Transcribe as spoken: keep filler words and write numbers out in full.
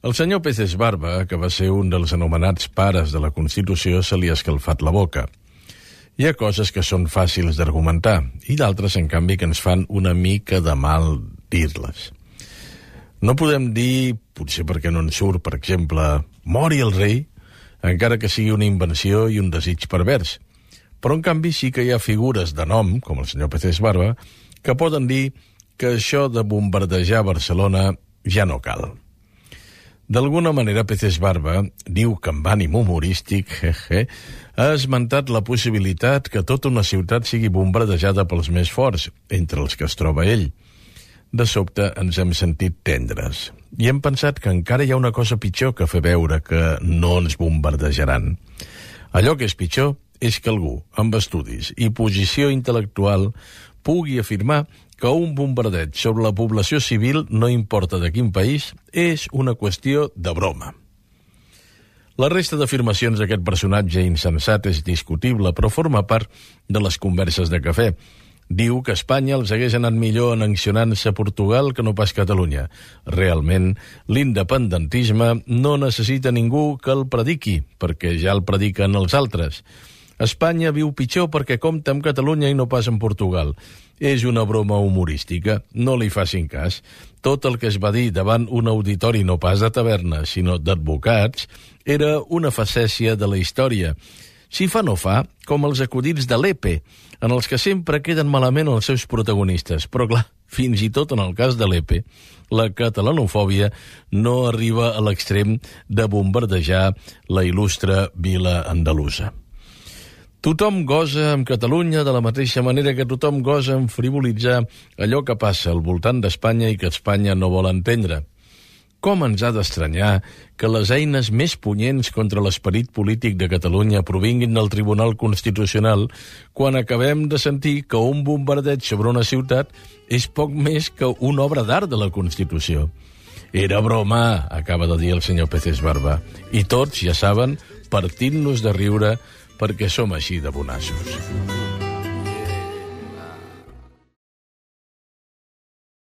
Al senyor Peces Barba, que va ser un dels anomenats pares de la Constitució, se li ha escalfat la boca. Hi ha coses que són fàcils d'argumentar i d'altres, en canvi, que ens fan una mica de mal dir-les. No podem dir, potser perquè no en surt, per exemple, mori el rei, encara que sigui una invenció i un desig pervers. Però, en canvi, sí que hi ha figures de nom, com el senyor Peces Barba, que poden dir que això de bombardejar Barcelona ja no cal. D'alguna manera, Peces Barba diu que amb ànim humorístic jeje, ha esmentat la possibilitat que tota una ciutat sigui bombardejada pels més forts, entre els que es troba ell. De sobte ens hem sentit tendres i hem pensat que encara hi ha una cosa pitjor que fer veure que no ens bombardejaran. Allò que és pitjor és que algú, amb estudis i posició intel·lectual, pugui afirmar que un bombardeig sobre la població civil, no importa de quin país, és una qüestió de broma. La resta d'afirmacions d'aquest personatge insensat és discutible, però forma part de les converses de cafè. Diu que Espanya els hagués anat millor annexionant-se a Portugal que no pas Catalunya. Realment, l'independentisme no necessita ningú que el prediqui, perquè ja el prediquen els altres. Espanya viu pitjor perquè compta amb Catalunya i no pas amb Portugal. És una broma humorística, no li facin cas. Tot el que es va dir davant un auditori no pas de taverna, sinó d'advocats, era una facècia de la història. Si fa no fa, com els acudits de l'E P E, en els que sempre queden malament els seus protagonistes. Però clar, fins i tot en el cas de l'E P E, la catalanofòbia no arriba a l'extrem de bombardejar la il·lustre vila andalusa. Tothom gosa amb Catalunya de la mateixa manera que tothom gosa en frivolitzar allò que passa al voltant d'Espanya i que Espanya no vol entendre. Com ens ha d'estranyar que les eines més punyents contra l'esperit polític de Catalunya provinguin del Tribunal Constitucional quan acabem de sentir que un bombardeig sobre una ciutat és poc més que una obra d'art de la Constitució. Era broma, acaba de dir el senyor Peces Barba. I tots, ja saben, partint-nos de riure perquè som així de bonassos.